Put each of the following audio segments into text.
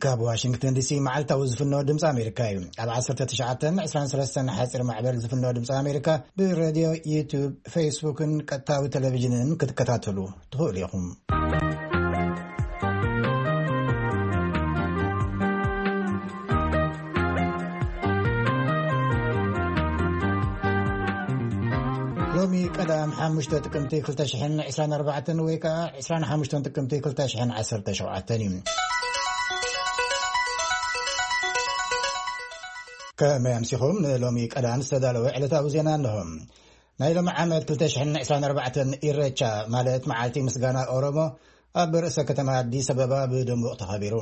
ካብ ዋሽንግተን ዲሲ መዓልታዊ ዝፍኖ ድምፂ ኣሜሪካ እዩ። ኣብ ዓሰርተ ትሽዓተን ዕስራን ሰለስተን ሓፂር ማዕበል ዝፍኖ ድምፂ ኣሜሪካ ብሬድዮ፣ ዩቱብ፣ ፌስቡክን ቀጥታዊ ቴሌቪዥንን ክትከታተሉ ትኽእሉ ኢኹም። ሎሚ ቀዳም ሓሙሽተ ጥቅምቲ ክልተ ሽሕን ዕስራን ኣርባዕተን ወይ ከዓ ዕስራን ሓሙሽተን ጥቅምቲ ክልተ ሽሕን ዓሰርተ ሸውዓተን እዩ። ከመይ ኣምሲኹም? ንሎሚ ቀዳም ዝተዳለወ ዕለታዊ ዜና እንሆ። ናይ ሎሚ ዓመት ክልተ ሽሕን ዕስራን ኣርባዕተን ኢረቻ ማለት መዓልቲ ምስጋና ኦሮሞ ኣብ ርእሰ ከተማ ኣዲስ ኣበባ ብድሙቕ ተኸቢሩ።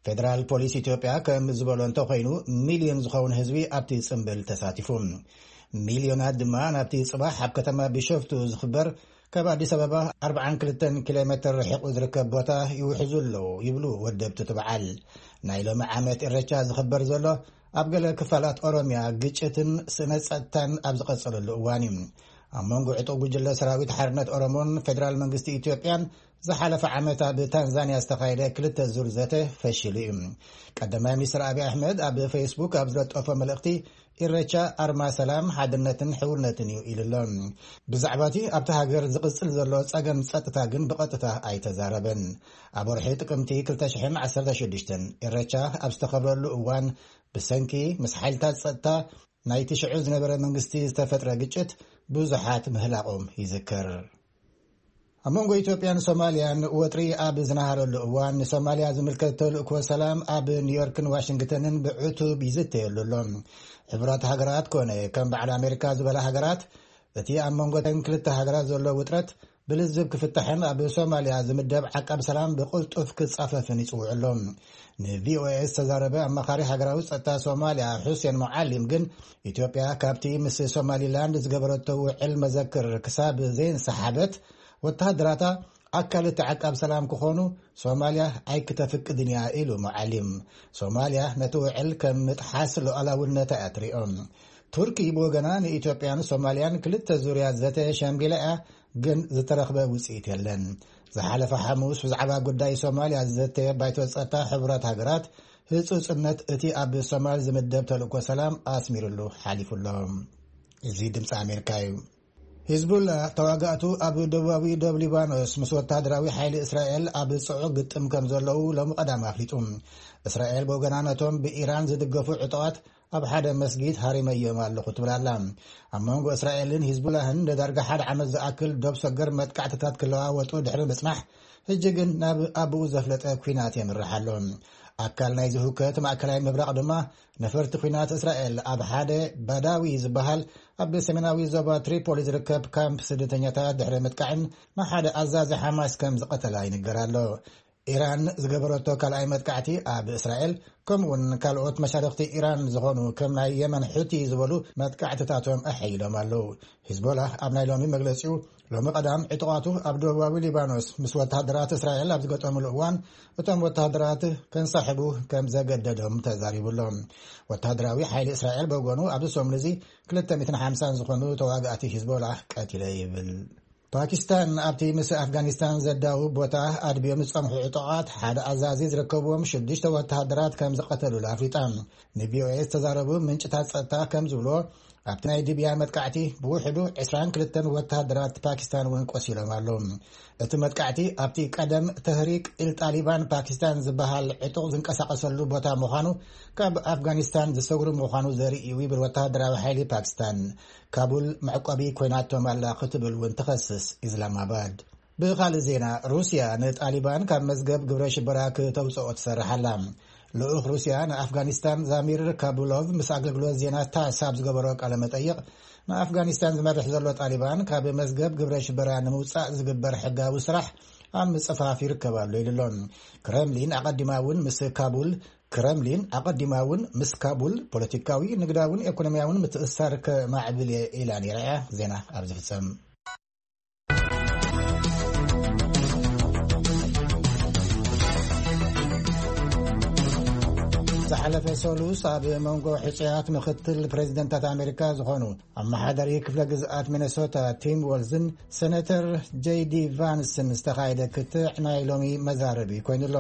ፌደራል ፖሊስ ኢትዮጵያ ከም ዝበሎ እንተኾይኑ፣ ሚልዮን ዝኸውን ህዝቢ ኣብቲ ጽምብል ተሳቲፉ። ሚልዮናት ድማ ናብቲ ጽባሕ ኣብ ከተማ ቢሾፍቱ ዝኽበር ካብ ኣዲስ ኣበባ ኣርብዓን ክልተን ኪሎ ሜትር ርሒቑ ዝርከብ ቦታ ይውሕዙ ኣለዉ ይብሉ ወደብቲ እቲ በዓል። ናይ ሎሚ ዓመት ኢረቻ ዝኽበር ዘሎ ኣብ ገለ ክፋላት ኦሮምያ ግጭትን ስነ ጸጥታን ኣብ ዝቐጸለሉ እዋን እዩ። ኣብ መንጎ ዕጡቕ ጉጅለ ሰራዊት ሓርነት ኦሮሞን ፌደራል መንግስቲ ኢትዮጵያን ዝሓለፈ ዓመት ኣብ ታንዛንያ ዝተኻየደ ክልተ ዙር ዘተ ፈሺሉ እዩ። ቀዳማይ ሚኒስትር ኣብይ ኣሕመድ ኣብ ፌስቡክ ኣብ ዝለጠፎ መልእኽቲ፣ ኢሬቻ ኣርማ ሰላም፣ ሓድነትን ሕውነትን እዩ ኢሉ ኣሎ። ብዛዕባ እቲ ኣብቲ ሃገር ዝቕጽል ዘሎ ጸገም ጸጥታ ግን ብቐጥታ ኣይተዛረበን። ኣብ ወርሒ ጥቅምቲ ክልተ ሽሕን ዓሰርተ ሽዱሽተን ኢሬቻ ኣብ ዝተኸብረሉ እዋን፣ ብሰንኪ ምስ ሓይልታት ጸጥታ ናይቲ ሽዑ ዝነበረ መንግስቲ ዝተፈጥረ ግጭት ብዙሓት ምህላቖም ይዝከር። ኣብ መንጎ ኢትዮጵያን ሶማልያን ወጥሪ ኣብ ዝነሃረሉ እዋን፣ ንሶማልያ ዝምልከት ተልእኮ ሰላም ኣብ ኒውዮርክን ዋሽንግተንን ብዕቱብ ይዝተየሉ ኣሎ። ሕቡራት ሃገራት ኮነ ከም በዓል ኣሜሪካ ዝበላ ሃገራት፣ እቲ ኣብ መንጎ ተን ክልተ ሃገራት ዘሎ ውጥረት ብልዝብ ክፍታሕን ኣብ ሶማልያ ዝምደብ ዓቃብ ሰላም ብቕልጡፍ ክጻፈፍን ይጽውዑ ኣሎ። ንቪኦኤ ዝተዛረበ ኣማኻሪ ሃገራዊ ጸጥታ ሶማልያ፣ ሑሴን ሙዓሊም ግን፣ ኢትዮጵያ ካብቲ ምስ ሶማሊላንድ ዝገበረቶ ውዕል መዘክር ክሳብ ዘይንሰሓበት፣ ወተሃደራታ ኣካል እቲ ዓቃብ ሰላም ክኾኑ ሶማልያ ኣይክተፍቅድን እያ ኢሉ ሙዓሊም። ሶማልያ ነቲ ውዕል ከም ምጥሓስ ሉዓላውነታ እያ ትሪኦ። ቱርኪ ብወገና ንኢትዮጵያን ሶማልያን ክልተ ዙርያ ዘተ ሸምጊላ እያ፣ ግን ዝተረኽበ ውፅኢት የለን። ዝሓለፈ ሓሙስ ብዛዕባ ጉዳይ ሶማልያ ዝዘተየ ባይቶ ጸጥታ ሕቡራት ሃገራት ህጹጽነት እቲ ኣብ ሶማል ዝምደብ ተልእኮ ሰላም ኣስሚርሉ ሓሊፉ ኣሎ። እዚ ድምፂ ኣሜሪካ እዩ። ሂዝቡላ ተዋጋእቱ ኣብ ደቡባዊ ዶብ ሊባኖስ ምስ ወታደራዊ ሓይሊ እስራኤል ኣብ ጽዑቕ ግጥም ከም ዘለዉ ሎሚ ቀዳም ኣፍሊጡ። እስራኤል ብወገና ነቶም ብኢራን ዝድገፉ ዕጡቓት ኣብ ሓደ መስጊድ ሃሪመዮም ኣለኹ ትብል ኣላ። ኣብ መንጎ እስራኤልን ሂዝቡላህን ንዳርጋ ሓደ ዓመት ዝኣክል ዶብ ሰገር መጥቃዕትታት ክለዋወጡ ድሕሪ ምጽናሕ፣ ሕጂ ግን ናብ ኣቡኡ ዘፍለጠ ኲናት የምርሕ ኣሎ። ኣካል ናይዚ ህውከት ማእከላይ ምብራቕ ድማ ነፈርቲ ኲናት እስራኤል ኣብ ሓደ ባዳዊ ዝበሃል ኣብ ሰሜናዊ ዞባ ትሪፖሊ ዝርከብ ካምፕ ስደተኛታት ድሕሪ ምጥቃዕን ንሓደ ኣዛዚ ሓማስ ከም ዝቐተላ ይንገር ኣሎ። ኢራን ዝገበረቶ ካልኣይ መጥቃዕቲ ኣብ እስራኤል፣ ከምኡውን ካልኦት መሻርኽቲ ኢራን ዝኾኑ ከም ናይ የመን ሑቲ ዝበሉ መጥቃዕትታቶም ኣሐይሎም ኣለዉ። ሂዝቦላ ኣብ ናይ ሎሚ መግለጺኡ፣ ሎሚ ቀዳም ዕጡቓቱ ኣብ ደቡባዊ ሊባኖስ ምስ ወተሃደራት እስራኤል ኣብ ዝገጠሙሉ እዋን፣ እቶም ወተሃደራት ከንሳሕቡ ከም ዘገደዶም ተዛሪቡ ኣሎ። ወተሃደራዊ ሓይሊ እስራኤል ብወገኑ፣ ኣብዚ ሰሙን እዚ ክልተ ሚእትን ሓምሳን ዝኾኑ ተዋጋእቲ ሂዝቦላ ቀቲለ ይብል። ፓኪስታን ኣብቲ ምስ ኣፍጋኒስታን ዘዳውብ ቦታ ኣድብዮም ዝጸንሑ ዕጡቓት ሓደ ኣዛዚ ዝርከብዎም ሽዱሽተ ወተሃደራት ከም ዝቐተሉላ ኣፍሊጣ። ንቪኦኤ ዝተዛረቡ ምንጭታት ጸጥታ ከም ዝብሎ፣ ኣብቲ ናይ ዲብያ መጥቃዕቲ ብውሕዱ ዕስራን ክልተን ወተሃደራት ፓኪስታን እውን ቆሲሎም ኣለዉ። እቲ መጥቃዕቲ ኣብቲ ቀደም ተህሪክ ኢል ጣሊባን ፓኪስታን ዝበሃል ዕጡቕ ዝንቀሳቐሰሉ ቦታ ምዃኑ፣ ካብ ኣፍጋኒስታን ዝሰጉሩ ምዃኑ ዘርኢ እዩ ይብል ወተሃደራዊ ሓይሊ ፓኪስታን። ካቡል መዕቆቢ ኮይናቶም ኣላ ክትብል እውን ትኸስስ ኢስላማባድ። ብኻልእ ዜና፣ ሩስያ ንጣሊባን ካብ መዝገብ ግብረ ሽበራ ክተውፅኦ ትሰርሕ ኣላ። ልኡኽ ሩስያ ንኣፍጋኒስታን ዛሚር ካቡሎቭ ምስ ኣገልግሎት ዜና ታስ ኣብ ዝገበሮ ቃለ መጠይቕ፣ ንኣፍጋኒስታን ዝመርሕ ዘሎ ጣሊባን ካብ መዝገብ ግብረ ሽበራ ንምውፃእ ዝግበር ሕጋዊ ስራሕ ኣብ ምፅፋፍ ይርከብ ኣሎ ኢሉ ኣሎ። ክረምሊን ኣቐዲማ እውን ምስ ካቡል ክረምሊን ኣቐዲማ እውን ምስ ካቡል ፖለቲካዊ፣ ንግዳውን ኤኮኖሚያውን ምትእስሳር ከማዕብል እየ ኢላ ነይራ እያ። ዜና ኣብ ዝፍጸም። ዝሓለፈ ሰሉስ ኣብ መንጎ ሕጹያት ምክትል ፕሬዚደንታት ኣሜሪካ ዝኾኑ ኣመሓዳሪ ክፍለ ግዝኣት ሚነሶታ ቲም ወልዝን ሴኔተር ጄይ ዲ ቫንስን ዝተኻየደ ክትዕ ናይ ሎሚ መዛረቢ ኮይኑ ኣሎ።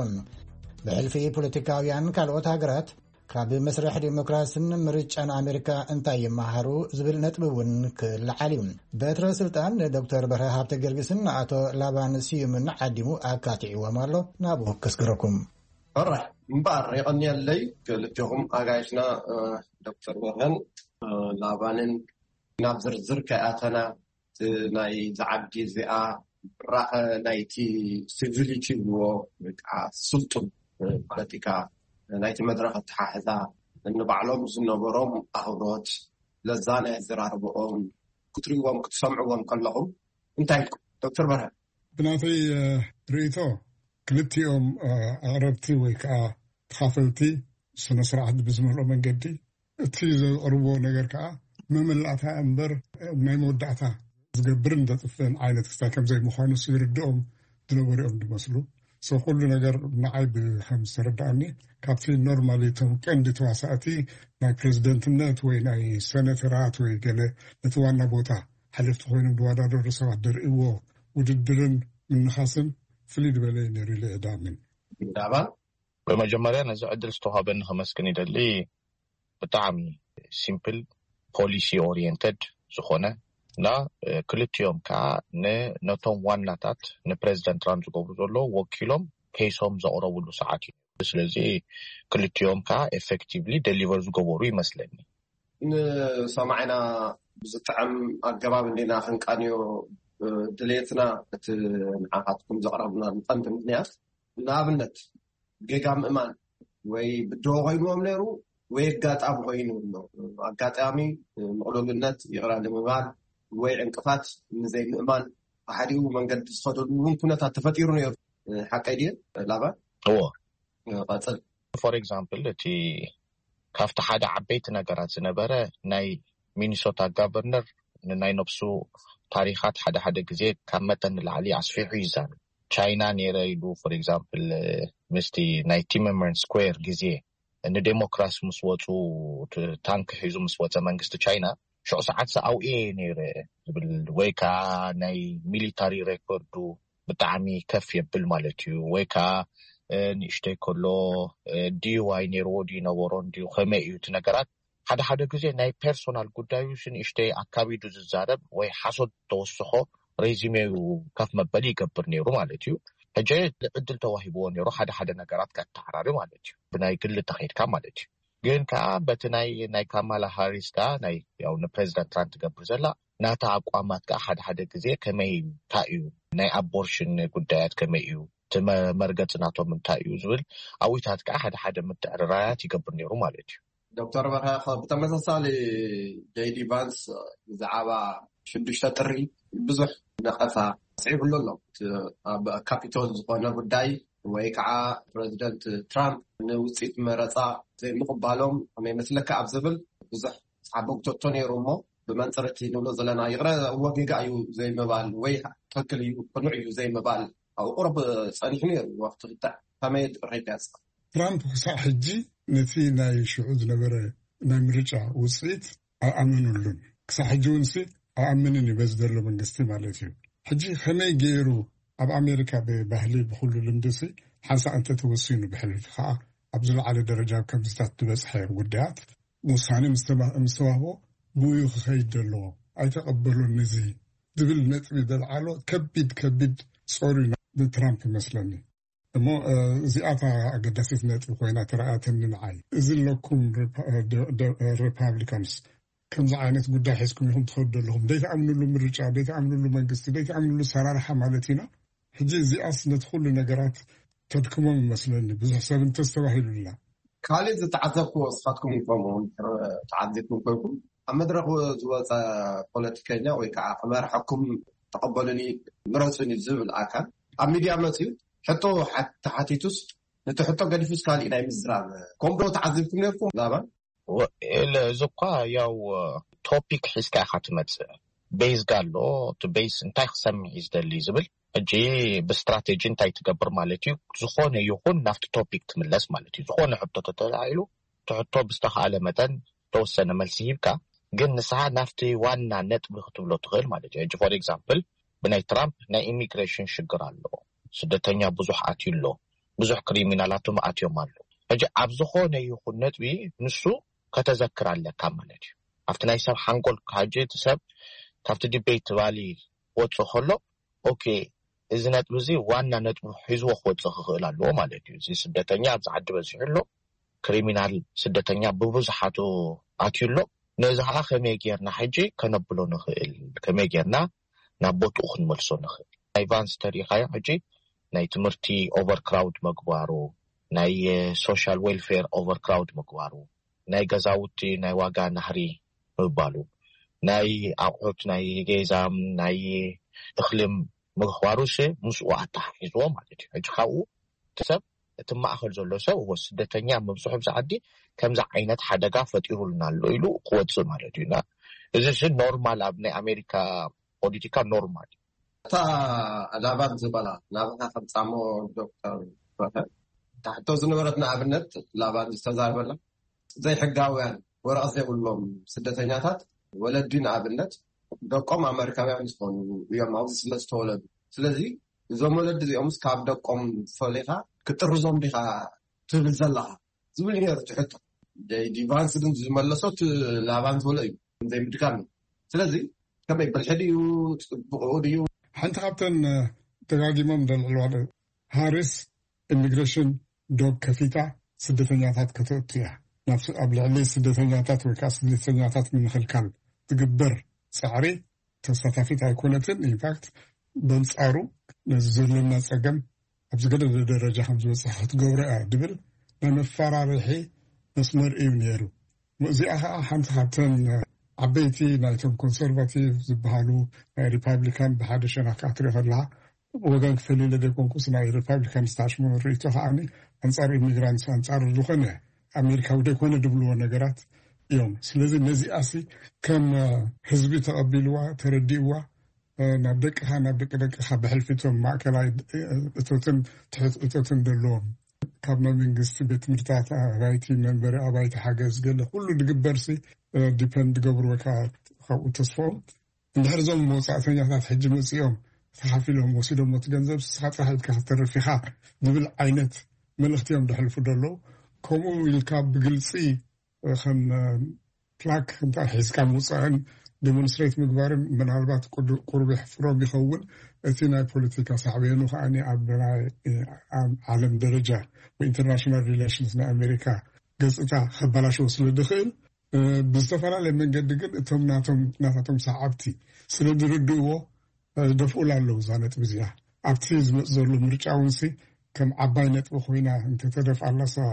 ብሕልፊ ፖለቲካውያን ካልኦት ሃገራት ካብ መስርሕ ዲሞክራስን ምርጫን ኣሜሪካ እንታይ ይመሃሩ ዝብል ነጥቢ እውን ክለዓል እዩ። በትረ ስልጣን ንዶክተር በርሀ ሃብተ ጊዮርጊስን ኣቶ ላባን ስዩምን ዓዲሙ ኣካቲዕዎም ኣሎ። ናብኡ ከስግረኩም። ሕራይ እምበኣር የቐንየለይ ክልቴኹም ኣጋይሽና ዶክተር በርሀን ላባንን። ናብ ዝርዝር ከይኣተና ናይ ዝዓዲ እዚኣ ብራኸ ናይቲ ሲቪሊቲ ይብልዎ ወይ ከዓ ስልጡን ፖለቲካ ናይቲ መድረክ ኣተሓሕዛ ንባዕሎም ዝነበሮም ኣኽብሮት ለዛ ናይ ኣዘራርብኦም ክትሪእዎም ክትሰምዕዎም ከለኹም እንታይ ኢልኩም? ዶክተር በርሀ። ብናተይ ርእይቶ ክልቲኦም ኣቕረብቲ ወይ ከዓ ተኻፈልቲ ስነ ስርዓት ብዝመልኦ መንገዲ እቲ ዘቕርብዎ ነገር ከዓ መመላእታ እምበር ናይ መወዳእታ ዝገብርን ዘጥፍእን ዓይነት ክስታይ ከም ዘይምዃኑ ይርድኦም ዝነበሩ እዮም ዝመስሉ። ሰብ ኩሉ ነገር ንዓይ ብከም ዝተረዳኣኒ ካብቲ ኖርማሊ እቶም ቀንዲ ተዋሳእቲ ናይ ፕሬዚደንትነት ወይ ናይ ሰነተራት ወይ ገለ ነቲ ዋና ቦታ ሓለፍቲ ኮይኖም ዝወዳደሩ ሰባት ዘርእዎ ውድድርን ምንኻስን ፍልይ ዝበለ እዩ ነይሩ ኢለ እየ ዝኣምን። ዳባን ብመጀመርያ ነዚ ዕድል ዝተዋሃበኒ ከመስግን ይደሊ። ብጣዕሚ ሲምፕል ፖሊሲ ኦሪየንተድ ዝኾነ እና ክልቲኦም ከዓ ነቶም ዋናታት ንፕሬዚደንት ትራምፕ ዝገብሩ ዘለዉ ወኪሎም ኬሶም ዘቕረብሉ ሰዓት እዩ። ስለዚ ክልቲኦም ከዓ ኤፌክቲቭሊ ደሊቨር ዝገበሩ ይመስለኒ። ንሰማዕና ብዝጥዕም ኣገባብ እንዲና ክንቃንዮ ድሌትና እቲ ንዓኻትኩም ዘቕረብና ንቐንዲ ምክንያት ንኣብነት ጌጋ ምእማን ወይ ብድሆ ኮይንዎም ነይሩ ወይ ኣጋጣሚ ኮይኑ ኣሎ። ኣጋጣሚ ምቕሉልነት ይቕረ ንምባል ወይ ዕንቅፋት ንዘይምእማን ብሓዲኡ መንገዲ ዝኸደሉ እውን ኩነታት ተፈጢሩ ነይሩ። ሓቀይ ድየ ላባን? እዎ ቀፅል። ፎር ኤግዛምፕል እቲ ካብቲ ሓደ ዓበይቲ ነገራት ዝነበረ ናይ ሚኒሶታ ጋቨርነር ንናይ ነብሱ ታሪኻት ሓደ ሓደ ግዜ ካብ መጠን ንላዕሊ ኣስፊሑ ይዛረብ። ቻይና ነይረ ኢሉ ፎር ኤግዛምፕል ምስቲ ናይ ቲመመን ስኩዌር ግዜ ንዴሞክራሲ ምስ ወፁ ታንክ ሒዙ ምስ ወፀ መንግስቲ ቻይና ሽዑ ሰዓት ዝኣውኤ ነይረ ዝብል ወይ ከዓ ናይ ሚሊታሪ ሬኮርዱ ብጣዕሚ ከፍ የብል ማለት እዩ። ወይ ከዓ ንእሽተይ ከሎ ዲዋይ ነይርዎ ድዩ ነበሮን ድዩ ከመይ እዩ እቲ ነገራት ሓደ ሓደ ግዜ ናይ ፐርሶናል ጉዳዩ ንእሽተይ ኣካቢዱ ዝዛረብ ወይ ሓሶት ተወስኾ ሬዚሜዩ ከፍ መበሊ ይገብር ነይሩ ማለት እዩ። ሕጂ ዕድል ተዋሂብዎ ነይሩ ሓደ ሓደ ነገራት ከተዓራሪ ማለት እዩ። ብናይ ግሊ ተኸይድካ ማለት እዩ። ግን ከዓ በቲ ናይ ናይ ካማላ ሃሪስ ከዓ ናይ ያው ንፕሬዚዳንት ትራምፕ ትገብር ዘላ ናታ ኣቋማት ከዓ ሓደ ሓደ ግዜ ከመይ እንታይ እዩ ናይ ኣቦርሽን ጉዳያት ከመይ እዩ እቲ መርገፂ ናቶም እንታይ እዩ ዝብል ኣዊታት ከዓ ሓደ ሓደ ምትዕርራያት ይገብር ነይሩ ማለት እዩ። ዶክተር በርሀ ብተመሳሳሊ ጀይዲ ቫንስ ብዛዕባ ሽዱሽተ ጥሪ ብዙሕ ነቐፋ ስዒብሉ ኣሎ። ኣብ ካፒቶል ዝኾነ ጉዳይ ወይ ከዓ ፕረዚደንት ትራምፕ ንውፅኢት መረፃ ዘይምቕባሎም ከመይ መስለካ ኣብ ዝብል ብዙሕ ሓበግቶቶ ነይሩ እሞ ብመንፅር እቲ ንብሎ ዘለና ይቕረ እወ ጌጋ እዩ ዘይምባል ወይ ትክክል እዩ ቅኑዕ እዩ ዘይምባል ኣብ ቁሩብ ፀኒሑ ነይሩ ወቅቲ ክትዕ ከመይ ሬዳ ያፅቕ ትራምፕ ክሳዕ ሕጂ ነቲ ናይ ሽዑ ዝነበረ ናይ ምርጫ ውፅኢት ኣይኣመኑሉን። ክሳብ ሕጂ እውን ሲ ኣይኣምንን እዩ በዚ ዘሎ መንግስቲ ማለት እዩ። ሕጂ ከመይ ገይሩ ኣብ ኣሜሪካ ብባህሊ ብኩሉ ልምዲ ሲ ሓንሳእ እንተተወሲኑ ብሕልፊ ከዓ ኣብ ዝለዓለ ደረጃ ኣብ ከምዚታት ዝበፅሐ ጉዳያት ውሳነ ምስ ተዋህቦ ብኡ ክኸይድ ዘለዎ ኣይተቐበሎን እዚ ዝብል ነጥቢ ዘልዓሎ ከቢድ ከቢድ ፆር እዩ ንትራምፕ ይመስለኒ። እሞ እዚኣታ ኣገዳሲት ነጥቢ ኮይና ተረኣያተኒ ንዓይ። እዚ ኣለኩም ሪፓብሊካንስ ከምዚ ዓይነት ጉዳይ ሒዝኩም ኢኹም ትኸዱ ዘለኹም፣ ዘይትኣምንሉ ምርጫ፣ ዘይትኣምንሉ መንግስቲ፣ ዘይትኣምንሉ ሰራርሓ ማለት ኢና። ሕጂ እዚኣስ ነቲ ኩሉ ነገራት ተድክሞም ይመስለኒ ብዙሕ ሰብ እንተስተባሂሉላ። ካልእ ዝተዓዘብክዎ ንስኻትኩም ከምኡ ተዓዚብኩም ኮይንኩም ኣብ መድረኽ ዝወፀ ፖለቲከኛ ወይ ከዓ ክመርሐኩም ተቐበሉኒ ምረፁኒ ዝብል ኣካል ኣብ ሚድያ መፅዩ ሕቶ ተሓቲቱስ ነቲ ሕቶ ገዲፉስ ካሊእ ናይ ምዝራብ ከምዶ ተዓዚብኩም ነርኩም ላባን? እዚ እኳ ያው ቶፒክ ሒዝካ ኢኻ ትመፅእ። ቤዝ ጋሎ እቲ ቤዝ እንታይ ክሰምዕ እዩ ዝደሊ ዝብል ሕጂ ብስትራቴጂ እንታይ ትገብር ማለት እዩ። ዝኾነ ይኹን ናብቲ ቶፒክ ትምለስ ማለት እዩ። ዝኾነ ሕቶ ተተላዒሉ እቲ ሕቶ ብዝተኻእለ መጠን ተወሰነ መልሲ ሂብካ ግን ንስኻ ናብቲ ዋና ነጥቢ ክትብሎ ትኽእል ማለት እዩ። ሕጂ ፎር ኤግዛምፕል ብናይ ትራምፕ ናይ ኢሚግሬሽን ሽግር ኣሎ፣ ስደተኛ ብዙሕ ኣትዩ ኣሎ። ብዙሕ ክሪሚናላቶም ኣትዮም ኣሎ። ሕጂ ኣብ ዝኾነ ይኹን ነጥቢ ንሱ ከተዘክር ኣለካ ማለት እዩ። ኣብቲ ናይ ሰብ ሓንጎል፣ ሕጂ እቲ ሰብ ካብቲ ዲቤት ትባሊ ክወፅእ ከሎ፣ ኦኬ፣ እዚ ነጥቢ እዚ ዋና ነጥቢ ሒዝዎ ክወፅእ ክኽእል ኣለዎ ማለት እዩ። እዚ ስደተኛ ኣብዚ ዓዲ በዚሑ ኣሎ፣ ክሪሚናል ስደተኛ ብብዙሓቱ ኣትዩ ኣሎ። ነዚ ከዓ ከመይ ጌርና ሕጂ ከነብሎ ንኽእል፣ ከመይ ጌርና ናብ ቦትኡ ክንመልሶ ንኽእል? ናይ ቫንስ ተሪኢኻዮ፣ ሕጂ ናይ ትምህርቲ ኦቨርክራውድ ምግባሩ፣ ናይ ሶሻል ዌልፌር ኦቨርክራውድ ምግባሩ፣ ናይ ገዛውቲ ናይ ዋጋ ናህሪ ምባሉ፣ ናይ ኣቑሑት ናይ ገዛም ናይ እኽልም ምኽባሩስ ምስኡ ኣተሓሒዝዎ ማለት እዩ። ሕጂ ካብኡ እቲ ሰብ፣ እቲ ማእኸል ዘሎ ሰብ፣ እዎ ስደተኛ ምብዝሑ ብዛ ዓዲ ከምዚ ዓይነት ሓደጋ ፈጢሩልና ኣሎ ኢሉ ክወፅእ ማለት እዩ። እና እዚ ሲ ኖርማል፣ ኣብ ናይ ኣሜሪካ ፖለቲካ ኖርማል እዩ። እታ ላባን ዝበላ ናብኻ ከምፃሞ ዶክተር በርሀ፣ እታ ሕቶ ዝነበረት ንኣብነት ላባን ዝተዛረበላ ዘይሕጋውያን ወረቐት ዘይብሎም ስደተኛታት ወለዲ ንኣብነት ደቆም ኣመሪካውያን ዝኾኑ እዮም ኣብዚ ስለ ዝተወለዱ። ስለዚ እዞም ወለዲ እዚኦምስ ካብ ደቆም ፈሊኻ ክጥርዞም ዲኻ ትብል ዘለኻ ዝብል ነሩ ትሕቶ። ጀይ ዲ ቫንስ ግን ዝመለሶት ላባን ዝበሎ እዩ ዘይምድጋም እዩ። ስለዚ ከመይ ብልሒ ድዩ ጽቡቕ ድዩ? ሓንቲ ካብተን ደጋጊሞም ደልዕልዋ ሃሪስ ኢሚግሬሽን ዶግ ከፊታ ስደተኛታት ከተእቱ እያ። ናብ ስ- ኣብ ልዕሊ ስደተኛታት ወይ ከዓ ስደተኛታት ንምክልካል ትግበር ፃዕሪ ተሳታፊት ኣይኮነትን። ኢንፋክት በንፃሩ ነዚ ዘለና ፀገም ኣብ ዝገደደ ደረጃ ከም ዝበፅሕ ክትገብሮ እያ ድብል ናይ መፈራርሒ መስመር እዩ ነይሩ። እዚኣ ከዓ ሓንቲ ካብተን ዓበይቲ ናይቶም ኮንሰርቫቲቭ ዝበሃሉ ናይ ሪፓብሊካን ብሓደ ሸነኽ ክትርኢ ከለካ ወገን ክፈልይ ኢለ ዘይኮንኩስ ናይ ሪፓብሊካን ስታሽመን ርእይቶ ከዓኒ ኣንፃር ኢሚግራንትስ ኣንፃር ዝኾነ ኣሜሪካዊ ዘይኮነ ድብልዎ ነገራት እዮም። ስለዚ ነዚኣሲ ከም ህዝቢ ተቐቢልዋ ተረዲእዋ ናብ ደቅኻ ናብ ደቂ ደቅኻ ብሕልፊ እቶም ማእከላይ እቶትን ትሕት እቶትን ዘለዎም ካብ መንግስቲ ቤት ትምህርትታት ኣባይቲ መንበሪ ኣባይቲ ሓገዝ ገለ ኩሉ ድግበርሲ ዲፐንድ ገብሩ ወይ ከዓ ካብኡ ተስፍኦም እንድሕር እዞም መውፃእተኛታት ሕጂ መፂኦም ተኻፊሎም ወሲዶሞ እቲ ገንዘብ ንስኻ ጥራሕ ኢልካ ክትተርፍ ኢኻ ዝብል ዓይነት መልእኽቲ እዮም ደሕልፉ ዘለዉ። ከምኡ ኢልካ ብግልፂ ከም ፕላክ እንታይ ሒዝካ ምውፃእን ዲሞንስትሬት ምግባርን ምናልባት ቁሩብ የሕፍሮም ይኸውን። እቲ ናይ ፖለቲካ ሳዕቤኑ ከዓ ኣብ ናይ ዓለም ደረጃ ብኢንተርናሽናል ሪሌሽንስ ናይ ኣሜሪካ ገፅታ ከባላሸው ስለ ዝኽእል ብዝተፈላለየ መንገዲ ግን እቶም ናቶም ናታቶም ሰዓብቲ ስለ ዝርድእዎ ደፍኡላ ኣለዉ እዛ ነጥቢ እዚኣ። ኣብቲ ዝመፅ ዘሎ ምርጫ እውን ሲ ከም ዓባይ ነጥቢ ኮይና እንተተደፍኣላ ሳ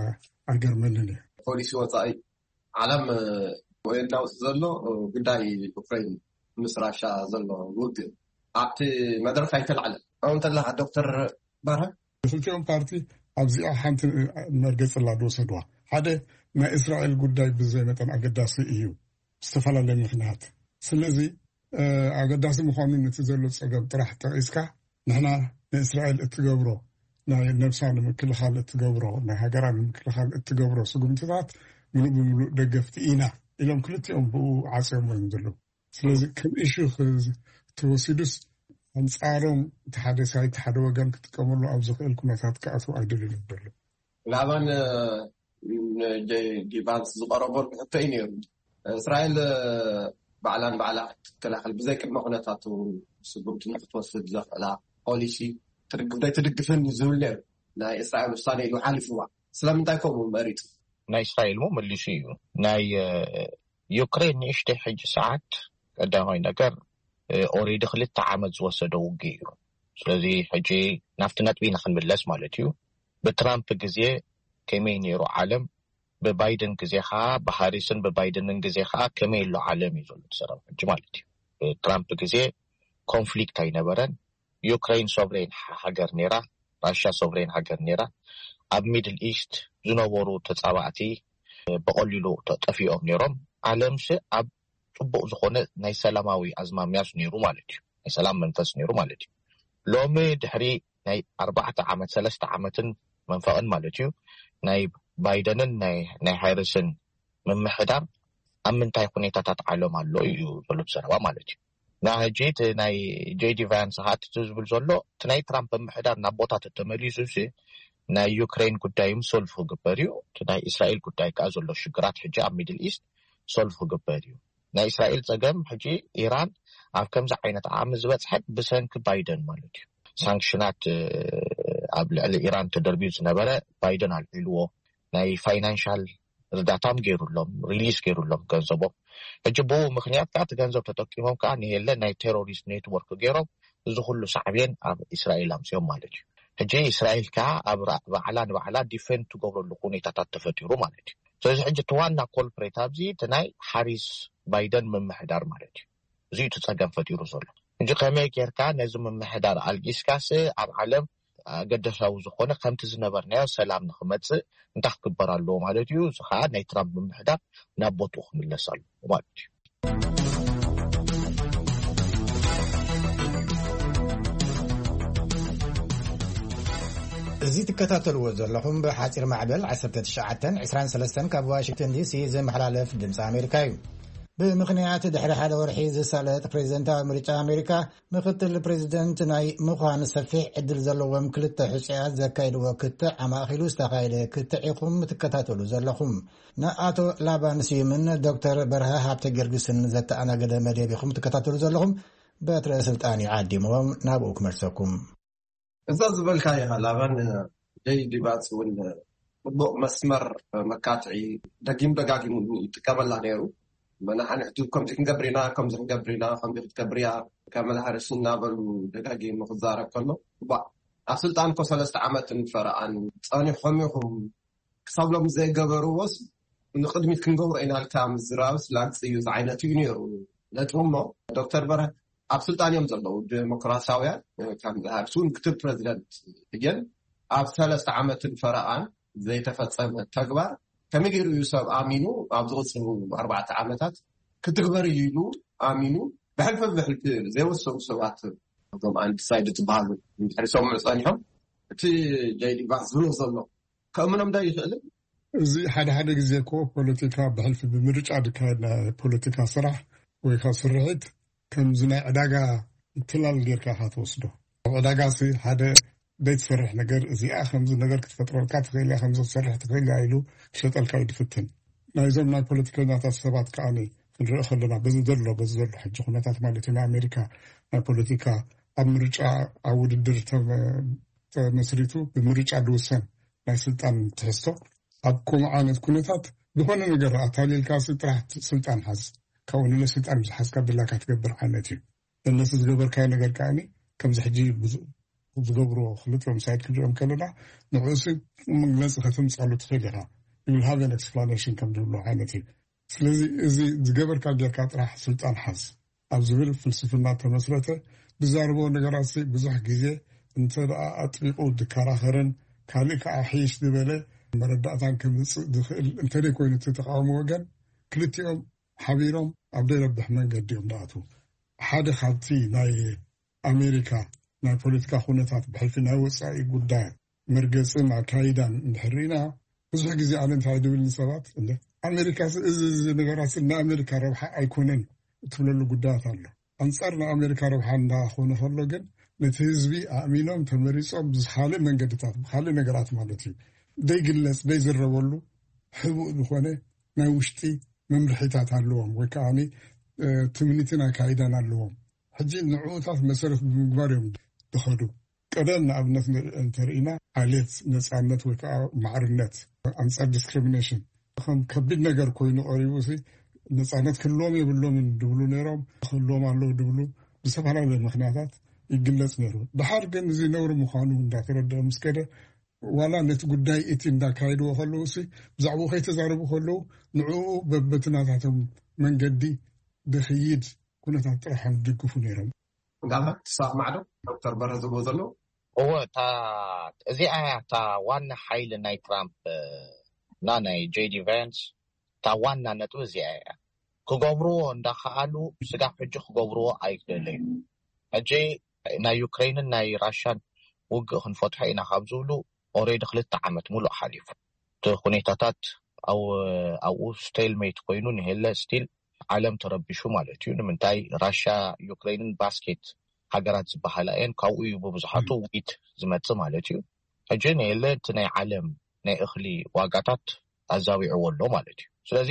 ኣይገርመንን እዩ። ፖሊሲ ወፃኢ ዓለም ወየናውስ ዘሎ ጉዳይ ዩክሬን ምስ ራሻ ዘሎ ውግእ ኣብቲ መድረክ ኣይተላዕለን። ከምኡ እንተለካ ዶክተር በርሀ ክልቲኦም ፓርቲ ኣብዚኣ ሓንቲ መርገፂ ላ ዝወሰድዋ ሓደ ናይ እስራኤል ጉዳይ ብዘይ መጠን ኣገዳሲ እዩ ብዝተፈላለየ ምክንያት። ስለዚ ኣገዳሲ ምዃኑ ነቲ ዘሎ ፀገም ጥራሕ ጠቒስካ ንሕና ንእስራኤል እትገብሮ ናይ ነብሳ ንምክልኻል እትገብሮ ናይ ሃገራ ንምክልኻል እትገብሮ ስጉምትታት ምሉእ ብምሉእ ደገፍቲ ኢና ኢሎም ክልቲኦም ብኡ ዓፅዮም እዮም ዘለዉ። ስለዚ ከም ኢሹ ተወሲዱስ ኣንፃሮም እቲ ሓደ ሳይት ሓደ ወገን ክጥቀመሉ ኣብ ዝኽእል ኩነታት ክኣትዉ ኣይደልዩን ዘለዉ። ላባን ንጀይ ዲ ቫንስ ዝቐረበሉ ሕቶ እዩ ነይሩ። እስራኤል ባዕላን ባዕላ ክትከላኸል ብዘይ ቅድመ ኩነታት እውን ስጉምቲ ንክትወስድ ዘኽእላ ፖሊሲ ትድግፍ ዘይትድግፍን ዝብል ነይሩ። ናይ እስራኤል ውሳነ ኢሉ ሓሊፍዋ። ስለምንታይ ከምኡ መሪፁ? ናይ እስራኤል ሞ መሊሱ እዩ። ናይ ዩክሬን ንእሽተይ ሕጂ ሰዓት ቀዳማይ ነገር ኦሬዲ ክልተ ዓመት ዝወሰደ ውግእ እዩ። ስለዚ ሕጂ ናብቲ ነጥቢ ኢና ክንምለስ ማለት እዩ። ብትራምፕ ግዜ ከመይ ነይሩ ዓለም፣ ብባይደን ግዜ ከዓ፣ ብሃሪስን ብባይደንን ግዜ ከዓ ከመይ ኣሎ ዓለም እዩ ዘሎ እቲ ሰላም ሕጂ ማለት እዩ። ብትራምፕ ግዜ ኮንፍሊክት ኣይነበረን። ዩክሬን ሶቭሬን ሃገር ነይራ፣ ራሽያ ሶቭሬን ሃገር ነይራ። ኣብ ሚድል ኢስት ዝነበሩ ተፃባእቲ ብቐሊሉ ጠፊኦም ነይሮም። ዓለምሲ ኣብ ፅቡቕ ዝኾነ ናይ ሰላማዊ ኣዝማሚያስ ነይሩ ማለት እዩ። ናይ ሰላም መንፈስ ነይሩ ማለት እዩ። ሎሚ ድሕሪ ናይ ኣርባዕተ ዓመት ሰለስተ ዓመትን መንፈቕን ማለት እዩ ናይ ባይደንን ናይ ሃይርስን ምምሕዳር ኣብ ምንታይ ኩኔታታት ዓለም ኣሎ እዩ ዘሎ ዘረባ ማለት እዩ። ና ሕጂ እቲ ናይ ጄዲ ቫንስ ሀት ዝብል ዘሎ እቲ ናይ ትራምፕ ምምሕዳር ናብ ቦታ ተተመሊሱ ሲ ናይ ዩክሬን ጉዳይ ሶልቭ ክግበር እዩ። እቲ ናይ እስራኤል ጉዳይ ከዓ ዘሎ ሽግራት ሕጂ ኣብ ሚድል ኢስት ሶልቭ ክግበር እዩ። ናይ እስራኤል ፀገም ሕጂ ኢራን ኣብ ከምዚ ዓይነት ዓቕሚ ዝበፅሐት ብሰንኪ ባይደን ማለት እዩ። ሳንክሽናት ኣብ ልዕሊ ኢራን ተደርብዩ ዝነበረ ባይደን ኣልዒልዎ፣ ናይ ፋይናንሻል እርዳታም ገይሩሎም፣ ሪሊስ ገይሩሎም ገንዘቦም። ሕጂ ብኡ ምክንያት ከዓ እቲ ገንዘብ ተጠቂሞም ከዓ ንየለ ናይ ቴሮሪስት ኔትወርክ ገይሮም እዚ ኩሉ ሳዕቤን ኣብ እስራኤል ኣምፅኦም ማለት እዩ። ሕጂ እስራኤል ከዓ ኣብ ባዕላ ንባዕላ ዲፌንድ ትገብረሉ ኩኔታታት ተፈጢሩ ማለት እዩ። ስለዚ ሕጂ እቲ ዋና ኮልፕሬት ኣብዚ እቲ ናይ ሓሪስ ባይደን ምምሕዳር ማለት እዩ። እዚ እቲ ፀገም ፈጢሩ ዘሎ። እንጂ ከመይ ጌርካ ነዚ ምምሕዳር ኣልጊስካስ ኣብ ዓለም ኣገደሳዊ ዝኾነ ከምቲ ዝነበርናዮ ሰላም ንክመፅእ እንታይ ክግበር ኣለዎ ማለት እዩ። እዚ ከዓ ናይ ትራምፕ ምምሕዳር ናብ ቦትኡ ክምለስ ኣለዎ ማለት እዩ። እዚ ትከታተልዎ ዘለኹም ብሓፂር ማዕበል ዓሰርተ ትሽዓተ ዕስራን ሰለስተን ካብ ዋሽንግተን ዲሲ ዝመሓላለፍ ድምፂ ኣሜሪካ እዩ። ብምኽንያት ድሕሪ ሓደ ወርሒ ዝሳለጥ ፕሬዚደንታዊ ምርጫ ኣሜሪካ ምክትል ፕሬዚደንት ናይ ምዃን ሰፊሕ ዕድል ዘለዎም ክልተ ሕፁያት ዘካይድዎ ክትዕ ኣማእኪሉ ዝተኻየደ ክትዕ ኢኹም ትከታተሉ ዘለኹም። ንኣቶ ላባን ስዩምን ዶክተር በርሀ ሃብተ ጊዮርጊስን ዘተኣናገደ መደብ ኢኹም ትከታተሉ ዘለኹም። በትረ ስልጣን ይዓዲምዎም ናብኡ ክመልሰኩም። እዛ ዝበልካያ ላባን ጀይ ዲ ቫንስ እውን ጽቡቕ መስመር መካትዒ ደጊም ደጋጊሙ ይጥቀመላ ነይሩ። መናሓንሕቱ ከምዚ ክንገብር ኢና፣ ከምዚ ክንገብር ኢና፣ ከምዚ ክትገብር እያ፣ ከም መላሓርስ እናበሉ ደጋጊሙ ክዛረብ ከሎ፣ ባ ኣብ ስልጣን እኮ ሰለስተ ዓመትን ፈረቓን ጸኒሖም ኢኹም ክሳብ ሎም ዘይገበርዎስ ንቕድሚት ክንገብሮ ኢና ኢልካ ምዝራብስ ላግፂ እዩ ዝዓይነቱ እዩ ነይሩ ነጥቡ። እሞ ዶክተር በርሀ ኣብ ስልጣን እዮም ዘለዉ ዴሞክራሲያውያን፣ ከም ሃሪስ እውን ምክትል ፕረዚደንት እየን። ኣብ ሰለስተ ዓመትን ፈረቓን ዘይተፈፀመ ተግባር ከመይ ገይሩ እዩ ሰብ ኣሚኑ ኣብ ዝቕፅሉ ኣርባዕተ ዓመታት ክትግበር እዩ ኢሉ ኣሚኑ ብሕልፊ ብሕልፊ ዘይወሰኑ ሰባት እዞም ኣንዲሳይድ ዝበሃሉ እንድሕር ይሰምዑ ፀኒሖም እቲ ጀይ ዲ ቫንስ ዝብሎ ዘሎ ከእምኖም ዶ ይኽእልን? እዚ ሓደ ሓደ ግዜ እኮ ፖለቲካ ብሕልፊ ብምርጫ ዝካየድ ናይ ፖለቲካ ስራሕ ወይ ከዓ ስርሒት ከምዚ ናይ ዕዳጋ ምትላል ጌርካ ኢኻ ትወስዶ። ኣብ ዕዳጋ ሲ ሓደ ዘይትሰርሕ ነገር እዚኣ ከምዚ ነገር ክትፈጥረልካ ትኽእል እያ፣ ከምዚ ክትሰርሕ ትኽእል እያ ኢሉ ክሸጠልካ እዩ ዝፍትን። ናይዞም ናይ ፖለቲከኛታት ሰባት ከዓኒ ክንርኢ ከለና በዚ ዘሎ በዚ ዘሎ ሕጂ ኩነታት ማለት እዩ ናይ ኣሜሪካ ናይ ፖለቲካ ኣብ ምርጫ ኣብ ውድድር ተመ- ተመስሪቱ ብምርጫ ዝውሰን ናይ ስልጣን ትሕዝቶ ኣብ ከምኡ ዓይነት ኩነታት ዝኾነ ነገር ኣታሊልካ ሲ ጥራሕ ስልጣን ሓዝ ካብኡ ንለ ስልጣን ምስ ሓዝካ ድላካ ትገብር ዓይነት እዩ። እነሱ ዝገበርካዮ ነገር ከዓኒ ከምዚ ሕጂ ብዙ- ዝገብሮ ክልቲኦም ሳይድ ክሪኦም ከለና ንዕኡ ሲ መግለፂ ከተምፃሉ ትኽእል ኢኻ። You will have an explanation ከም ዝብሎ ዓይነት እዩ። ስለዚ እዚ ዝገበርካ ጌርካ ጥራሕ ስልጣን ሓዝ ኣብ ዝብል ፍልስፍና ተመስረተ ዝዛረቦ ነገራት ሲ ብዙሕ ግዜ እንተ ደኣ ኣጥቢቑ ዝከራኸርን ካልእ ከዓ ሕይሽ ዝበለ መረዳእታን ከምፅእ ዝኽእል እንተደይ ኮይኑ እቲ ተቃውሞ ወገን ክልቲኦም ሓቢሮም ኣብ ዘይረብሕ መንገዲ እዮም ዝኣትዉ። ሓደ ካብቲ ናይ ኣሜሪካ ናይ ፖለቲካ ኩነታት ብሕልፊ ናይ ወፃኢ ጉዳይ መርገፅን ኣካይዳን እንድሕር ርኢና ብዙሕ ግዜ ኣነ እንታይ ድብል ንሰባት እንደ ኣሜሪካ እዚ እዚ ነገራት ንኣሜሪካ ረብሓ ኣይኮነን እትብለሉ ጉዳያት ኣሎ። ኣንፃር ንኣሜሪካ ረብሓ እንዳኾነ ከሎ ግን ነቲ ህዝቢ ኣእሚኖም ተመሪፆም ብዝካልእ መንገድታት ብካልእ ነገራት ማለት እዩ ዘይግለፅ ዘይዝረበሉ ሕቡእ ዝኾነ ናይ ውሽጢ መምርሒታት ኣለዎም ወይ ከዓ ትምኒትን ኣካይዳን ኣለዎም። ሕጂ ንዕኡታት መሰረት ብምግባር እዮም ዝኸዱ። ቀደም ንኣብነት እንተርኢና ዓሌት ነፃነት ወይ ከዓ ማዕርነት ኣንፃር ዲስክሪሚኔሽን ከም ከቢድ ነገር ኮይኑ ቀሪቡ ሲ ነፃነት ክህልዎም የብሎምን ድብሉ ነይሮም። ክህልዎም ኣለዉ ድብሉ ብዝተፈላለዩ ምክንያታት ይግለፅ ነይሩ። ድሓር ግን እዚ ነውሪ ምዃኑ እንዳተረድአ ምስ ከደ ዋላ ነቲ ጉዳይ እቲ እንዳካየድዎ ከለዉ ሲ ብዛዕባኡ ከይተዛረቡ ከለዉ ንዕኡ በበትናታቶም መንገዲ ድኽይድ ኩነታት ጥራሕ እዮም ዝድግፉ ነይሮም። እንዳባ ትሰማዕ ዶ ዶክተር በረ ዝብሎ ዘሎ? እወ እታ እዚኣ እያ እታ ዋና ሓይሊ ናይ ትራምፕ እና ናይ ጄዲ ቫንስ እታ ዋና ነጥቢ እዚኣ እያ። ክገብርዎ እንዳኸኣሉ ስጋብ ሕጂ ክገብርዎ ኣይክእለዩ። ሕጂ ናይ ዩክሬንን ናይ ራሽያን ውግእ ክንፈትሖ ኢና ካብ ዝብሉ ኦሬዲ ክልተ ዓመት ሙሉእ ሓሊፉ። እቲ ኩኔታታት ኣብኡ ስቴልሜት ኮይኑ ንሄለ ስቲል ዓለም ተረቢሹ ማለት እዩ። ንምንታይ ራሽያ ዩክሬንን ባስኬት ሃገራት ዝበሃላ እየን። ካብኡ እዩ ብብዙሓቱ ዊት ዝመፅእ ማለት እዩ። ሕጂ ንኤለ እቲ ናይ ዓለም ናይ እኽሊ ዋጋታት ኣዛዊዕዎ ኣሎ ማለት እዩ። ስለዚ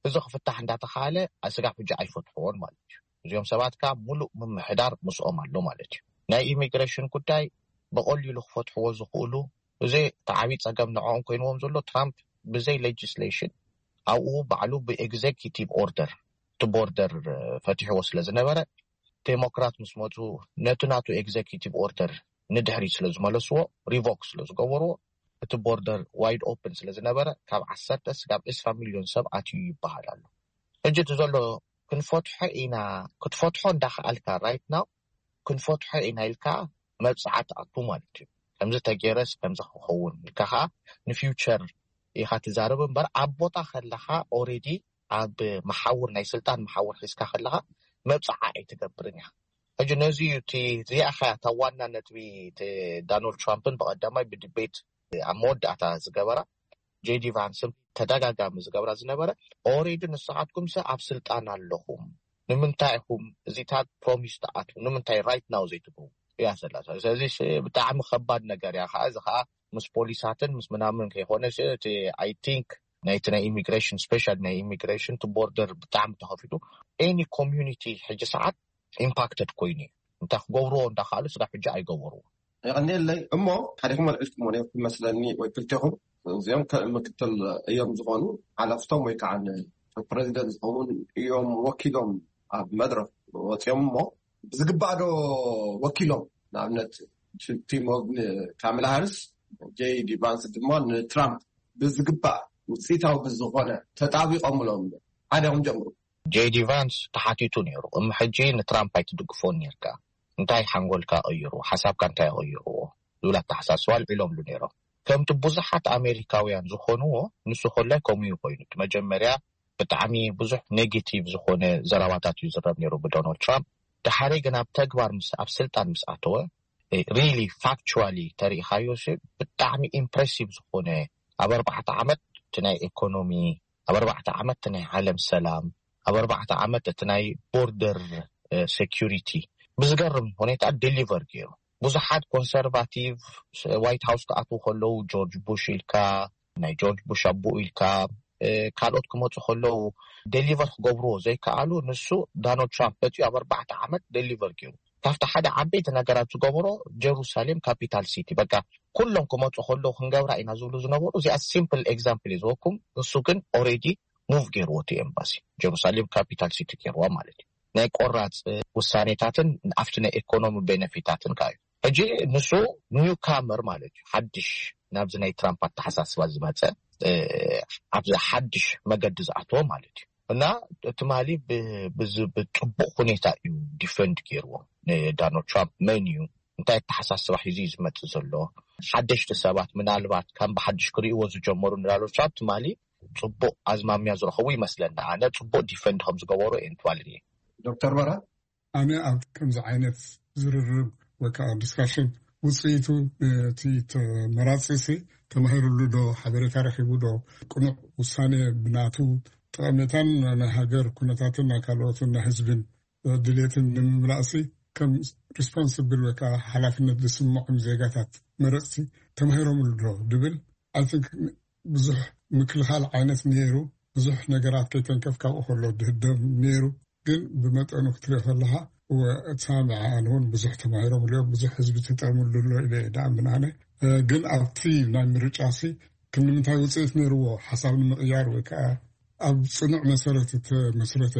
እዚ ክፍታሕ እንዳተኻለ ስጋብ ሕጂ ኣይፈትሕዎን ማለት እዩ። እዚኦም ሰባት ከዓ ሙሉእ ምምሕዳር ምስኦም ኣሎ ማለት እዩ። ናይ ኢሚግሬሽን ጉዳይ ብቐሊሉ ክፈትሕዎ ዝኽእሉ፣ እዚ ተዓቢ ፀገም ንዕኦም ኮይንዎም ዘሎ ትራምፕ ብዘይ ሌጅስሌሽን ኣብኡ ባዕሉ ብኤግዜኪቲቭ ኦርደር እቲ ቦርደር ፈትሕዎ ስለ ዝነበረ፣ ዴሞክራት ምስ መፁ ነቲ ናቱ ኤግዜኪቲቭ ኦርደር ንድሕሪት ስለ ዝመለስዎ፣ ሪቮክ ስለ ዝገበርዎ፣ እቲ ቦርደር ዋይድ ኦፕን ስለ ዝነበረ ካብ ዓሰርተ ስጋብ ዕስራ ሚሊዮን ሰብ ኣትዩ ይበሃል ኣሎ። ሕጂ እቲ ዘሎ ክንፈትሖ ኢና፣ ክትፈትሖ እንዳኸኣልካ ራይት ናው ክንፈትሖ ኢና ኢልካ መብፅዓ ትኣቱ ማለት እዩ። ከምዚ ተገይረስ ከምዚ ክኸውን ኢልካ ከዓ ንፊውቸር ኢኻ ትዛረብ እምበር ኣብ ቦታ ከለኻ ኦሬዲ ኣብ መሓውር ናይ ስልጣን መሓውር ሒዝካ ከለኻ መብፅዓ ኣይትገብርን ኢኻ። ሕጂ ነዚ እዩ እቲ እዚኣ ኸያ እታ ዋና ነጥቢ እቲ ዳናልድ ትራምፕን ብቐዳማይ ብዲቤት ኣብ መወዳእታ ዝገበራ ጄዲ ቫንስን ተደጋጋሚ ዝገብራ ዝነበረ ኦሬዲ ንስኻትኩም ሰ ኣብ ስልጣን ኣለኹም ንምንታይ ኢኹም እዚታት ፕሮሚስ ትኣትዉ ንምንታይ ራይት ናው ዘይትብሉ እያ ዘላ። ስለዚ ብጣዕሚ ከባድ ነገር እያ ከዓ እዚ ከዓ ምስ ፖሊሳትን ምስ ምናምን ከይኮነ እቲ ኣይ ቲንክ ናይቲ ናይ ኢሚግሬሽን ስፔሻል ናይ ኢሚግሬሽን እቲ ቦርደር ብጣዕሚ ተኸፊቱ ኤኒ ኮሚዩኒቲ ሕጂ ሰዓት ኢምፓክትድ ኮይኑ እዩ። እንታይ ክገብርዎ እንዳካሉ ስጋብ ሕጂ ኣይገበርዎ። የቐንየለይ። እሞ ሓዲኹም ኣልዒልኩሞ ነርኩም መስለኒ ወይ ክልቴኹም እዚኦም ምክትል እዮም ዝኾኑ ሓለፍቶም ወይ ከዓ ፕሬዚደንት ዝኸውን እዮም ወኪሎም ኣብ መድረክ ወፂኦም እሞ ብዝግባእ ዶ ወኪሎም ንኣብነት ቲም ካሜላ ሃሪስ ጄዲ ቫንስ ድማ ንትራምፕ ብዝግባእ ውፅኢታዊ ብዝኾነ ተጣቢቆምሎም ሓደ ኹም ጀምሩ። ጄዲ ቫንስ ተሓቲቱ ነይሩ እም ሕጂ ንትራምፕ ኣይትድግፎን ነርካ እንታይ ሓንጎልካ ቀይሩ ሓሳብካ እንታይ ቀይርዎ ዝብል ኣተሓሳስባ ኣልዒሎምሉ ነይሮም። ከምቲ ብዙሓት ኣሜሪካውያን ዝኾንዎ ንሱ ኮላይ ከምኡ እዩ ኮይኑ እቲ መጀመርያ ብጣዕሚ ብዙሕ ኔጌቲቭ ዝኾነ ዘረባታት እዩ ዝረብ ነይሩ ብዶናልድ ትራምፕ። ድሓረይ ግን ኣብ ተግባር ምስ ኣብ ስልጣን ምስ ኣተወ ሪሊ ፋክቹዋሊ ተሪኢኻዮ ሲ ብጣዕሚ ኢምፕሬሲቭ ዝኾነ ኣብ ኣርባዕተ ዓመት እቲ ናይ ኢኮኖሚ ኣብ ኣርባዕተ ዓመት እቲ ናይ ዓለም ሰላም ኣብ ኣርባዕተ ዓመት እቲ ናይ ቦርደር ሴኪሪቲ ብዝገርም ሁኔታ ዴሊቨር ገይሩ። ብዙሓት ኮንሰርቫቲቭ ዋይት ሃውስ ክኣትዉ ከለዉ ጆርጅ ቡሽ ኢልካ ናይ ጆርጅ ቡሽ ኣቦኡ ኢልካ ካልኦት ክመፁ ከለዉ ዴሊቨር ክገብርዎ ዘይከኣሉ ንሱ ዳናልድ ትራምፕ መፅኡ ኣብ ኣርባዕተ ዓመት ዴሊቨር ገይሩ። ካብቲ ሓደ ዓበይቲ ነገራት ዝገበሮ ጀሩሳሌም ካፒታል ሲቲ በቃ ኩሎም ክመፁ ከለዉ ክንገብራ ኢና ዝብሉ ዝነበሩ እዚኣ ሲምፕል ኤግዛምፕል እዩ ዝወኩም። ንሱ ግን ኦሬዲ ሙቭ ገይርዎ እቲ ኤምባሲ ጀሩሳሌም ካፒታል ሲቲ ገይርዋ ማለት እዩ። ናይ ቆራፅ ውሳኔታትን ኣብቲ ናይ ኢኮኖሚ ቤነፊታትን ከ እዩ። ሕጂ ንሱ ኒው ካመር ማለት እዩ ሓድሽ ናብዚ ናይ ትራምፕ ኣተሓሳስባ ዝመፀ ኣብዚ ሓድሽ መገዲ ዝኣተወ ማለት እዩ። እና ትማሊ ብፅቡቅ ሁኔታ እዩ ዲፈንድ ገይርዎ ንዳናልድ ትራምፕ መን እዩ እንታይ ኣተሓሳስባ ሒዙ እዩ ዝመፅእ ዘሎ ሓደሽቲ ሰባት ምናልባት ከም ብሓድሽ ክርእይዎ ዝጀመሩ ንዳናልድ ትራምፕ ትማሊ ፅቡቅ ኣዝማሚያ ዝረኸቡ ይመስለና። ኣነ ፅቡቅ ዲፈንድ ከም ዝገበሩ እየ ንትማሊ ርኤ። ዶክተር በራ ኣነ ኣብ ከምዚ ዓይነት ዝርርብ ወይ ከዓ ዲስካሽን ውፅኢቱ እቲ ተመራፂ ሲ ተማሂሩሉ ዶ ሓበሬታ ረኪቡ ዶ ቅኑዕ ውሳኔ ብናቱ ጠቐሜታን ናይ ሃገር ኩነታትን ናይ ካልኦትን ናይ ህዝብን ድሌትን ንምምላእሲ ከም ሪስፖንስብል ወይ ከዓ ሓላፍነት ዝስምዖም ዜጋታት መረፅቲ ተማሂሮምሉ ዶ ድብል ኣይ ቲንክ ብዙሕ ምክልኻል ዓይነት ነይሩ። ብዙሕ ነገራት ከይተንከፍ ካብኡ ከሎ ድህደም ነይሩ። ግን ብመጠኑ ክትሪኦ ከለካ እወ እቲ ሳምዐ ኣነ እውን ብዙሕ ተማሂሮም ልኦም ብዙሕ ህዝቢ ተጠምሉ ኣሎ ኢለ ዳኣ ምናነ ግን ኣብቲ ናይ ምርጫ ሲ ክንምንታይ ውፅኢት ነይርዎ ሓሳብ ንምቕያር ወይ ከዓ ኣብ ፅኑዕ መሰረት እተመስረተ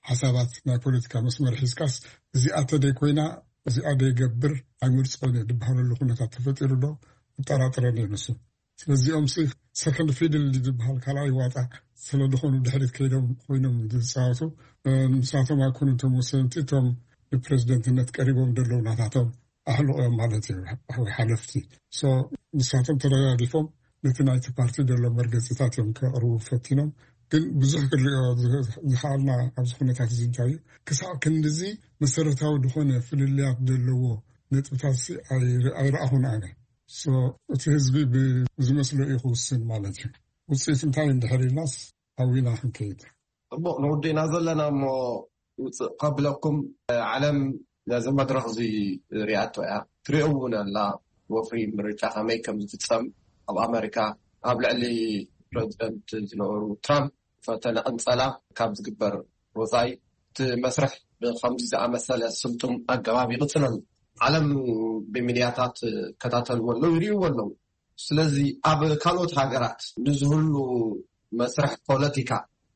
ሓሳባት ናይ ፖለቲካ መስመር ሒዝካስ እዚኣ ተደይ ኮይና እዚኣ ደይገብር ኣይምርፅኦን እየ ዝበሃለሉ ኩነታት ተፈጢሩ ዶ እጠራጥረን እየ ንሱ ስለዚኦም ሲ ሰከንድ ፊድል ዝበሃል ካልኣይ ዋጣ ስለ ዝኾኑ ድሕሪት ከይዶም ኮይኖም ዝፃወቱ ንሳቶም ኣይኮኑ እቶም ወሰንቲ እቶም ንፕሬዚደንትነት ቀሪቦም ዘለዉ ናታቶም ኣሕልቆ እዮም ማለት እዩ ወይ ሓለፍቲ ንሳቶም ተደጋጊፎም ነቲ ናይቲ ፓርቲ ዘሎ መርገፂታት እዮም ከቕርቡ ፈቲኖም ግን ብዙሕ ክንሪኦ ዝኸኣልና ኣብዚ ኩነታት እዚ እንታይ እዩ ክሳብ ክንድዚ መሰረታዊ ዝኾነ ፍልልያት ዘለዎ ነጥብታት ኣይረኣኹን ኣነ እቲ ህዝቢ ብዝመስሎ እዩ ክውስን ማለት እዩ ውፅኢት እንታይ እንድሕር ኢልናስ ኣዊና ክንከይድ ፅቡቅ ንውድእና ዘለና እሞ ውፅእ ከብለኩም ዓለም ነዚ መድረክ እዚ ሪኣቶ እያ ትሪኦ እውን ኣላ ወፍሪ ምርጫ ከመይ ከም ዝፍጸም ኣብ ኣመሪካ ኣብ ልዕሊ ፕረዚደንት ዝነበሩ ትራምፕ ፈተነ ቅንጸላ ካብ ዝግበር ወጻኢ እቲ መስርሕ ብከምዚ ዝኣመሰለ ስልጡም ኣገባብ ይቕጽል ኣሎ። ዓለም ብሚድያታት ይከታተልዎ ኣለዉ፣ ይርእይዎ ኣለዉ። ስለዚ ኣብ ካልኦት ሃገራት ንዝህሉ መስርሕ ፖለቲካ፣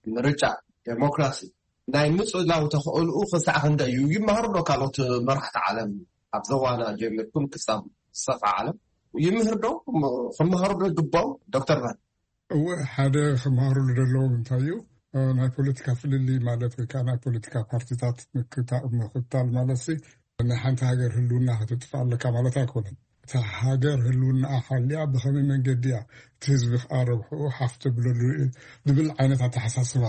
ምርጫ፣ ዴሞክራሲ ናይ ምጽላው ተኽእልኡ ክሳዕ ክንደይ እዩ? ይመሃሩ ዶ ካልኦት መራሕቲ ዓለም? ኣብ ዘዋና ጀሚርኩም ክሳብ ዝሰፍሐ ዓለም ይምህር ዶ? ክመሃሩ ዶ ይግባው? ዶክተር በር እወ፣ ሓደ ክመሃሩሉ ዘለዎም እንታይ እዩ? ናይ ፖለቲካ ፍልልይ ማለት ወይ ከዓ ናይ ፖለቲካ ፓርቲታት ምክታ- ምክታል ማለት ሲ ናይ ሓንቲ ሃገር ህልውና ከተጥፍእ ኣለካ ማለት ኣይኮነን። እታ ሃገር ህልውና ሓልያ ብኸመይ መንገዲ እያ እቲ ህዝቢ ከዓ ረብሕኡ ሓፍ ተብለሉ ዝብል ዓይነት ኣተሓሳስባ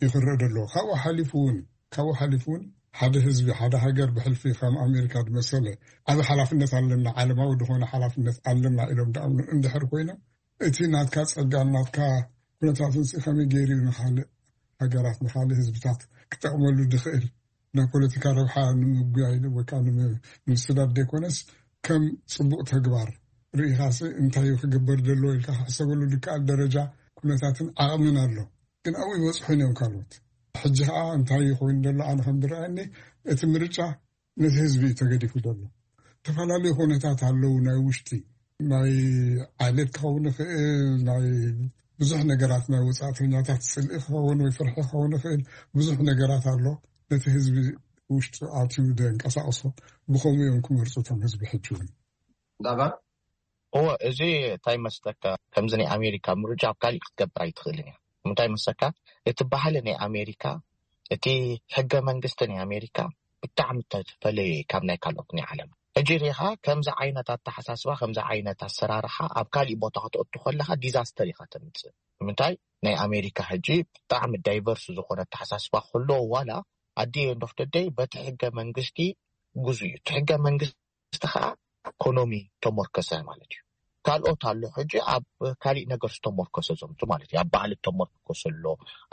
ይክረእ ደሎ። ካብኡ ሓሊፉ እውን ካብኡ ሓሊፉ እውን ሓደ ህዝቢ ሓደ ሃገር ብሕልፊ ከም ኣሜሪካ ዝመሰለ ዓብ ሓላፍነት ኣለና፣ ዓለማዊ ዝኾነ ሓላፍነት ኣለና ኢሎም ዳኣምኑ እንድሕር ኮይኖም እቲ ናትካ ጸጋን ናትካ ኩነታትን ሲ ከመይ ገይሩ እዩ ንኻልእ ሃገራት ንኻልእ ህዝብታት ክጠቕመሉ ዝኽእል? ናይ ፖለቲካ ረብሓ ንምጉያይ ወይ ከዓ ንምስዳድ ዘይኮነስ ከም ጽቡቕ ተግባር ርኢኻሲ እንታይ እዩ ክግበር ዘለዎ ኢልካ ክሕሰበሉ ዝከኣል ደረጃ ኩነታትን ዓቕምን ኣሎ። ግን ኣብኡ ይበፅሑን እዮም ካልኦት። ሕጂ ከዓ እንታይ ኮይኑ ዘሎ ኣነ ከም ዝረኣየኒ እቲ ምርጫ ነቲ ህዝቢ እዩ ተገዲፉ ዘሎ። ዝተፈላለዩ ኩነታት ኣለዉ። ናይ ውሽጢ ናይ ዓሌት ክኸውን ይኽእል፣ ናይ ብዙሕ ነገራት ናይ ወፃእተኛታት ፅልኢ ክኸውን ወይ ፍርሒ ክኸውን ይኽእል። ብዙሕ ነገራት ኣሎ። ነቲ ህዝቢ ውሽጡ ኣትዩ ዘንቀሳቕሶ ብኸምኡ እዮም ክመርፁ እቶም ህዝቢ ሕጂ እውን። ዳባ እዎ፣ እዚ እንታይ መስለካ፣ ከምዚ ናይ ኣሜሪካ ምርጫ ኣብ ካሊእ ክትገብር ኣይትኽእልን እያ። እንታይ መስለካ፣ እቲ ባህሊ ናይ ኣሜሪካ፣ እቲ ሕገ መንግስቲ ናይ ኣሜሪካ ብጣዕሚ ተፈለየ ካብ ናይ ካልኦት ናይ ዓለም። ሕጂ ሪኻ ከምዚ ዓይነት ኣተሓሳስባ፣ ከምዚ ዓይነት ኣሰራርሓ ኣብ ካሊእ ቦታ ከተእቱ ከለኻ ዲዛስተር ኢኻ ተምፅእ። ንምንታይ፣ ናይ ኣሜሪካ ሕጂ ብጣዕሚ ዳይቨርስ ዝኾነ ኣተሓሳስባ ከሎ ዋላ ኣዲ ንፍትደይ በቲ ሕገ መንግስቲ ግዙ እዩ። እቲ ሕገ መንግስቲ ከዓ ኢኮኖሚ ተመርኮሰ ማለት እዩ። ካልኦት ኣሎ ሕጂ ኣብ ካሊእ ነገር ዝተመርኮሰ ዘምቱ ማለት እዩ። ኣብ ባህሊ ተመርኮሰ ኣሎ፣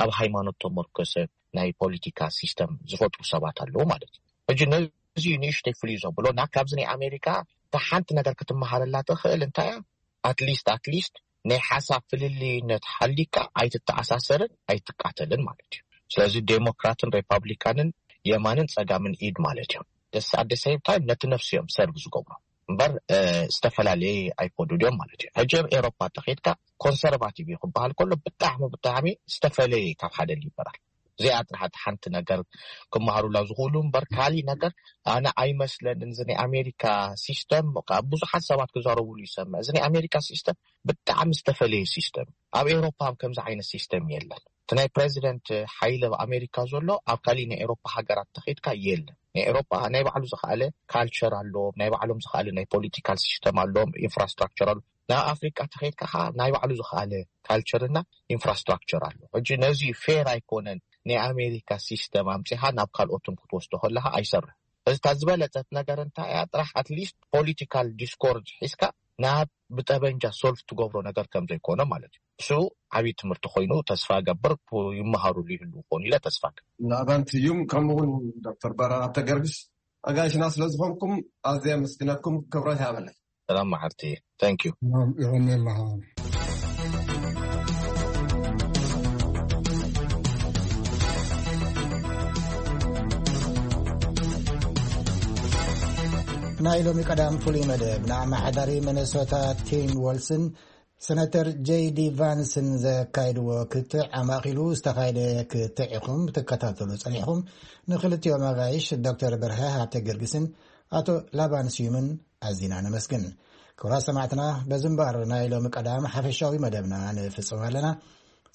ኣብ ሃይማኖት ተመርኮሰ ናይ ፖለቲካ ሲስተም ዝፈጥሩ ሰባት ኣለዉ ማለት እዩ። ሕጂ ነዚ እዩ ንእሽተይ ፍልዩ ዘብሎ እና ካብዚ ናይ ኣሜሪካ እታ ሓንቲ ነገር ክትመሃረላ ትኽእል እንታይ እያ? ኣትሊስት ኣትሊስት ናይ ሓሳብ ፍልልይነት ሓሊካ ኣይትተኣሳሰርን ኣይትቃተልን ማለት እዩ። ስለዚ ዴሞክራትን ሪፓብሊካንን የማንን ፀጋምን ኢድ ማለት እዮም። ደስ ኣደ ሴም ታይም ነቲ ነፍሲ እዮም ሰርቭ ዝገብሩ እምበር ዝተፈላለየ ኣይኮዱ ድዮም ማለት እዩ። ሕጂ ኣብ ኤሮፓ ተኸይድካ ኮንሰርቫቲቭ እዩ ክበሃል ከሎ ብጣዕሚ ብጣዕሚ ዝተፈለየ ካብ ሓደ ሊበራል። እዚኣ ጥራሕ ሓንቲ ነገር ክመሃሩላ ዝኽእሉ እምበር ካሊእ ነገር ኣነ ኣይመስለንን። እዚ ናይ ኣሜሪካ ሲስተም ካብ ብዙሓት ሰባት ክዛረቡሉ ይሰምዕ። እዚ ናይ ኣሜሪካ ሲስተም ብጣዕሚ ዝተፈለየ ሲስተም። ኣብ ኤሮፓ ከምዚ ዓይነት ሲስተም የለን። እቲ ናይ ፕሬዚደንት ሓይሊ ኣብ ኣሜሪካ ዘሎ ኣብ ካሊእ ናይ ኤሮፓ ሃገራት ተኸይድካ የለን። ናይ ኤሮፓ ናይ ባዕሉ ዝኸኣለ ካልቸር ኣለዎም፣ ናይ ባዕሎም ዝኸኣለ ናይ ፖለቲካል ሲስተም ኣለዎም፣ ኢንፍራስትራክቸር ኣሎ። ናብ ኣፍሪቃ ተኸይድካ ከዓ ናይ ባዕሉ ዝኸኣለ ካልቸር እና ኢንፍራስትራክቸር ኣሎ። ሕጂ ነዚ ፌር ኣይኮነን። ናይ ኣሜሪካ ሲስተም ኣምፂኻ ናብ ካልኦትም ክትወስዶ ከለካ ኣይሰርሕ። እዚታ ዝበለፀት ነገር እንታይ እያ? ጥራሕ ኣትሊስት ፖለቲካል ዲስኮርድ ሒዝካ ናብ ብጠበንጃ ሶልፍ ትገብሮ ነገር ከም ዘይኮነ ማለት እዩ። እሱ ዓብዪ ትምህርቲ ኮይኑ ተስፋ ገብር ይመሃሩሉ ይህሉ ኾኑ ኢለ ተስፋ ገብር። ንኣባን ስዩም ከምኡ እውን ዶክተር በራራ ተገርግስ ኣጋይሽና ስለ ዝኾንኩም ኣዝየ ኣመስግነኩም። ክብረት ያበለይ። ሰላም መዓልቲ። Thank you። ይቐንየልና። ናይ ሎሚ ቀዳም ፍሉይ መደብ ንኣመሓዳሪ መነሶታ ቲም ወልስን ሰነተር ጄይ ዲ ቫንስን ዘካይድዎ ክትዕ ኣማእኪሉ ዝተኻየደ ክትዕ ኢኹም ትከታተሉ ጸኒሕኹም። ንክልቲኦም ኣጋይሽ ዶክተር በርሀ ሃብተ ጊዮርጊስን ኣቶ ላባን ስዩምን ኣዚና ነመስግን። ክቡራት ሰማዕትና፣ በዚ እምበኣር ናይ ሎሚ ቀዳም ሓፈሻዊ መደብና ንፍጽም ኣለና።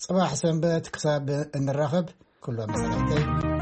ጽባሕ ሰንበት ክሳብ እንራኸብ ኩሎም ሰላምተይ